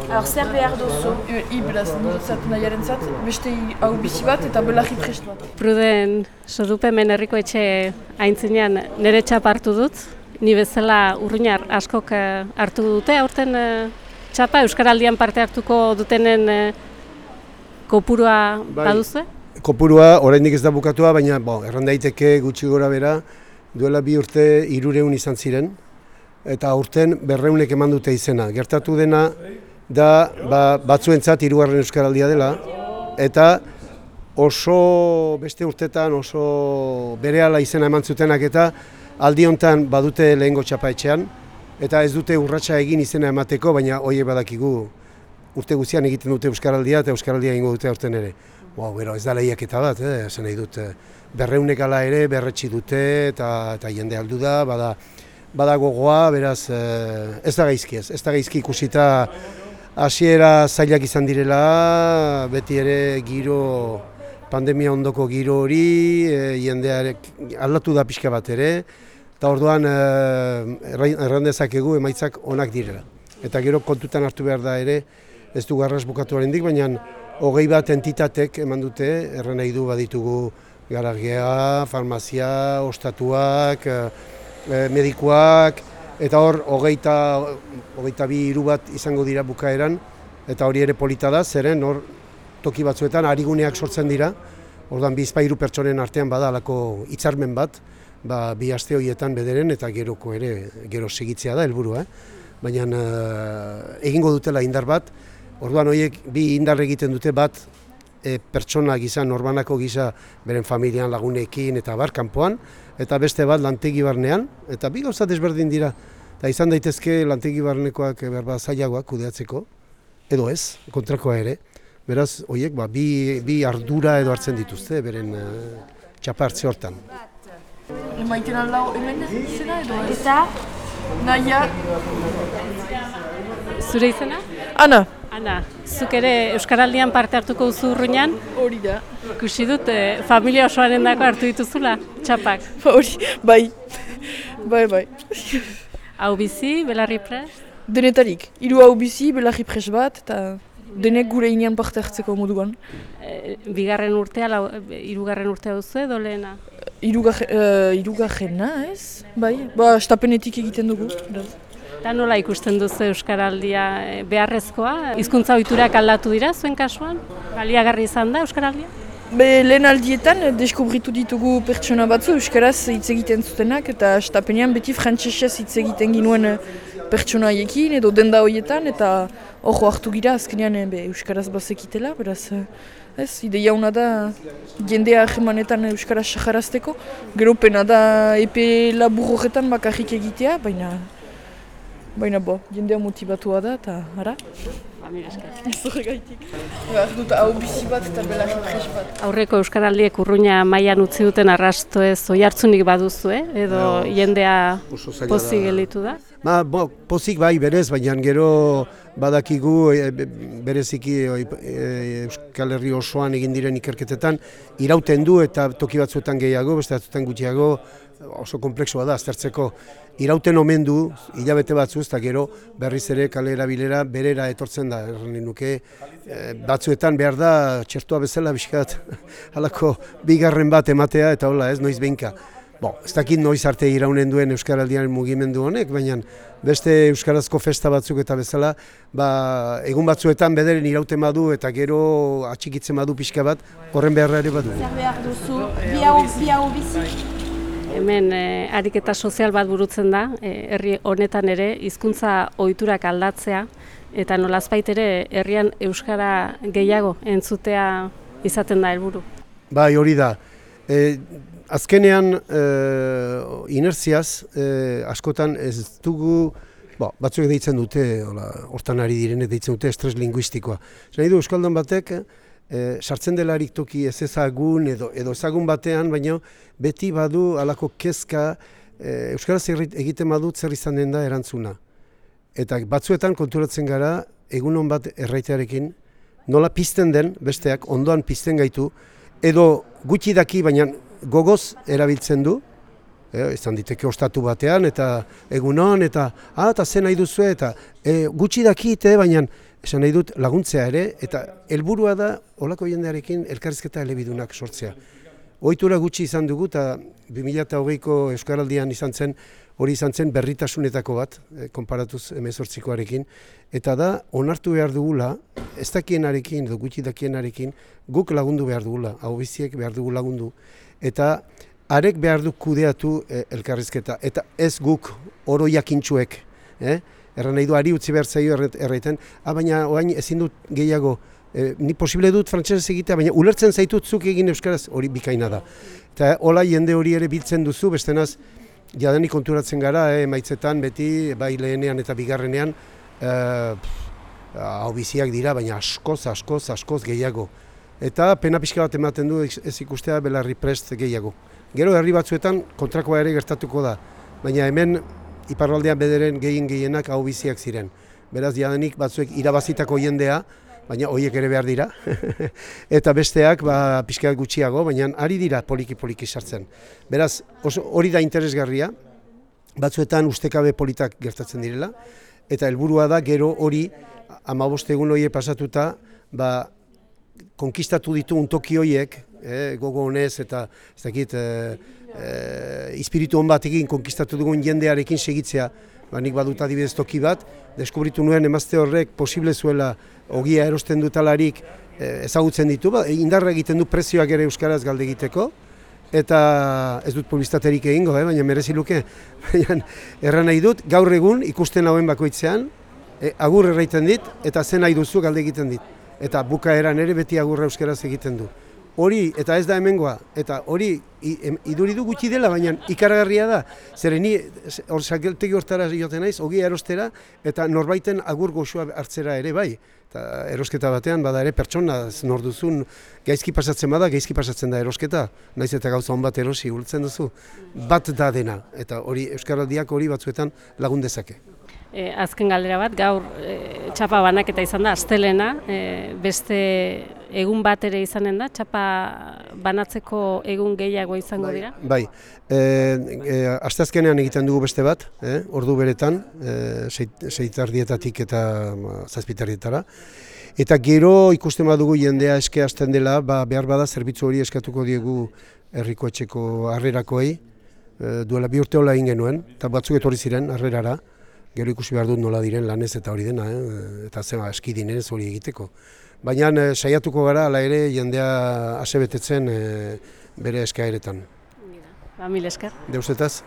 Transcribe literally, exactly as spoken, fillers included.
Alors, zer behar duzu? I, beraz, niretzat nahiaren zat, beste hau bizi bat eta belarri prest bat. Pruden, Sodupemen herriko etxe aintzinean nire txapa hartu dut. Ni bezala urruñar askok hartu dute, aurten txapa Euskaraldian parte hartuko dutenen kopurua baduzu? Kopurua oraindik ez da bukatua, baina bo, erran daiteke gutxi gora bera, duela bi urte hirureun izan ziren, eta aurten berreunek eman dute izena. Gertatu dena da ba, batzuentzat hirugarren Euskaraldia dela, eta oso beste urtetan oso berehala izena eman zutenak eta aldi hontan badute lehengo txapa etxean, eta ez dute urratsa egin izena emateko, baina horiek badakigu urte guztian egiten dute Euskaraldia eta Euskaraldia egingo dute aurten ere. Wow, bero, ez da lehiaketa bat, eh? Esan nahi dut, berreunek ala ere berretsi dute eta, eta jende aldu da, bada, bada gogoa, beraz eh, ez da gaizki ez, ez da gaizki ikusita hasiera zailak izan direla, beti ere giro, pandemia ondoko giro hori, e, jendearek aldatu da pixka bat ere, eta orduan e, errandezakegu emaitzak onak direla. Eta gero kontutan hartu behar da ere, ez du garras bukatu harendik, baina hogei bat entitatek eman dute, erran nahi du baditugu garagia, farmazia, ostatuak, e, medikuak, eta hor hogeita, hogeita bi hiru bat izango dira bukaeran, eta hori ere polita da, zeren hor toki batzuetan ariguneak sortzen dira, orduan bizpahiru pertsonen artean bada halako hitzarmen bat, ba, bi aste horietan bederen eta geroko ere gero segitzea da helburua, eh? Baina uh, egingo dutela indar bat, orduan horiek bi indar egiten dute bat e, pertsona gisa, norbanako gisa beren familian lagunekin eta bar kanpoan, eta beste bat lantegi barnean, eta bi gauza desberdin dira, eta izan daitezke lantegi barnekoak berba zailagoak kudeatzeko, edo ez, kontrakoa ere. Beraz, horiek ba, bi, bi ardura edo hartzen dituzte, beren uh, txapa hartze hortan. Emaiten alda hemen izena edo ez? Eta? Naia. Zure izena? Ana. Ana, zuk ere Euskaraldian parte hartuko duzu urruñan? Hori da. Ikusi dut, eh, familia osoaren dako hartu dituzula, txapak? Hori, bai. Bai, bai. Hau bizi, belarri prest? Denetarik. Hiru hau bizi, belarri prest bat, eta denek gure inean parte hartzeko moduan. E, bigarren urtea, lau, hirugarren urtea duzu edo lehena? Hirugarrena, uh, ez? Bai, ba, estapenetik egiten dugu. Eta nola ikusten duzu Euskaraldia beharrezkoa? Hizkuntza ohiturak aldatu dira zuen kasuan? Baliagarri izan da Euskaraldia? Be, lehen aldietan deskubritu ditugu pertsona batzu Euskaraz hitz egiten zutenak, eta estapenean beti frantsesez hitz egiten ginuen pertsona haiekin edo denda horietan, eta hor hartu gira azkenean be, Euskaraz bazekitela, beraz ez, ideia hona da jendea ahemanetan Euskaraz saharazteko, gero pena da epe labur horretan bakarrik egitea, baina baina bo, jendea motibatua da, eta ara? Zorregaitik. Behar dut hau bizi bat eta belarri prest bat. Aurreko Euskaraldiek urruña mailan utzi duten arrasto ez oihartzunik baduzu, eh? Edo no, jendea pozik gelditu da? Ba, bo, pozik bai berez, baina gero badakigu e, bereziki e, Euskal Herri osoan egin diren ikerketetan irauten du eta toki batzuetan gehiago, beste batzuetan gutxiago, oso komplexua da aztertzeko. Irauten omen du, hilabete batzuz, eta gero berriz ere kalera bilera berera etortzen da. Erran nuke, e, batzuetan behar da txertua bezala bizkat halako bigarren bat ematea eta hola ez, noiz behinka. Bo, ez dakit noiz arte iraunen duen Euskaraldiaren mugimendu honek, baina beste euskarazko festa batzuk eta bezala, ba, egun batzuetan bederen irauten badu eta gero atxikitzen badu pixka bat, horren beharra ere badu. Zer behar duzu, bi hau, bi hau bizi? Hemen eh, ariketa sozial bat burutzen da, eh, herri honetan ere hizkuntza ohiturak aldatzea, eta nolazbait ere herrian euskara gehiago entzutea izaten da helburu. Bai, hori da. E, azkenean e, inertziaz e, askotan ez dugu, bo, batzuk deitzen dute, hola, hortan ari direnek deitzen dute estres linguistikoa. Nahi du euskaldun batek, e, sartzen delarik toki ez ezagun edo, edo ezagun batean, baina beti badu halako kezka e, euskaraz egiten badut zer izan den da erantzuna. Eta batzuetan konturatzen gara, egunon bat erraitearekin, nola pizten den besteak, ondoan pizten gaitu, edo gutxi daki, baina gogoz erabiltzen du, e, izan diteke ostatu batean, eta egunon, eta ah, eta zen nahi duzu, eta e, gutxi dakite, baina esan nahi dut laguntzea ere, eta helburua da olako jendearekin elkarrizketa elebidunak sortzea. Ohitura gutxi izan dugu, eta bi mila hogeiko Euskaraldian izan zen, hori izan zen berritasunetako bat, eh, konparatuz hemezortzikoarekin, eta da onartu behar dugula, ez dakienarekin edo gutxi dakienarekin, guk lagundu behar dugula, hau biziek behar dugu lagundu, eta arek behar du kudeatu eh, elkarrizketa, eta ez guk oro jakintxuek, eh? Erran nahi du, ari utzi behar zaio erraiten, ah, baina orain ezin dut gehiago, E, ni posible dut frantsesez egitea, baina ulertzen zaitut zuk egin euskaraz, hori bikaina da. Eta hola jende hori ere biltzen duzu, bestenaz jadanik konturatzen gara, eh, maitzetan beti, bai lehenean eta bigarrenean, hau biziak dira, baina askoz, askoz, askoz gehiago. Eta pena pixka bat ematen du ez ikustea belarri prest gehiago. Gero herri batzuetan kontrakoa ere gertatuko da, baina hemen iparraldean bederen gehien gehienak hau biziak ziren. Beraz jadanik batzuek irabazitako jendea, baina horiek ere behar dira, eta besteak ba, pixka gutxiago, baina ari dira poliki-poliki sartzen. Beraz, oso, hori da interesgarria, batzuetan ustekabe politak gertatzen direla, eta helburua da gero hori, hamabost egun horiek pasatuta, ba, konkistatu ditu untoki horiek, eh, gogo honez eta ez dakit, eh, eh, espiritu hon batekin konkistatu dugun jendearekin segitzea, ba, nik badut adibidez toki bat, deskubritu nuen emazte horrek posible zuela ogia erosten dutalarik eh, ezagutzen ditu, ba, indarra egiten du prezioak ere euskaraz galde egiteko, eta ez dut publizitaterik egingo, eh, baina merezi luke, baina erran nahi dut, gaur egun ikusten hauen bakoitzean, eh, agur erraiten dit, eta zen nahi duzu galde egiten dit, eta bukaeran ere beti agurra euskaraz egiten du. Hori, eta ez da hemengoa, eta hori iduri du gutxi dela, baina ikaragarria da. Zeren ni, hor sakeltegi hortara joten naiz, ogia erostera, eta norbaiten agur goxoa hartzera ere bai. Eta erosketa batean, bada ere pertsona, nor duzun, gaizki pasatzen bada, gaizki pasatzen da erosketa. Naiz eta gauza hon bat erosi, ulertzen duzu. Bat da dena, eta hori Euskaraldiak hori batzuetan lagun dezake. E, azken galdera bat, gaur e, txapa banaketa izan da, astelena, e, beste egun bat ere izanen da, txapa banatzeko egun gehiago izango dira? Bai, e, e, asteazkenean egiten dugu beste bat, eh, ordu beretan, e, seitardietatik eta zazpitardietara. Eta gero ikusten badugu jendea eske hasten dela, ba, behar bada zerbitzu hori eskatuko diegu herriko etxeko harrerakoei, e, duela bi urte hola egin genuen, eta batzuk etorri ziren harrerara. Gero ikusi behar dut nola diren lanez eta hori dena, eh? Eta zema eski dinenez hori egiteko. Baina eh, saiatuko gara, ala ere jendea asebetetzen eh, bere eskaeretan. Ba, mil esker. Deusetaz.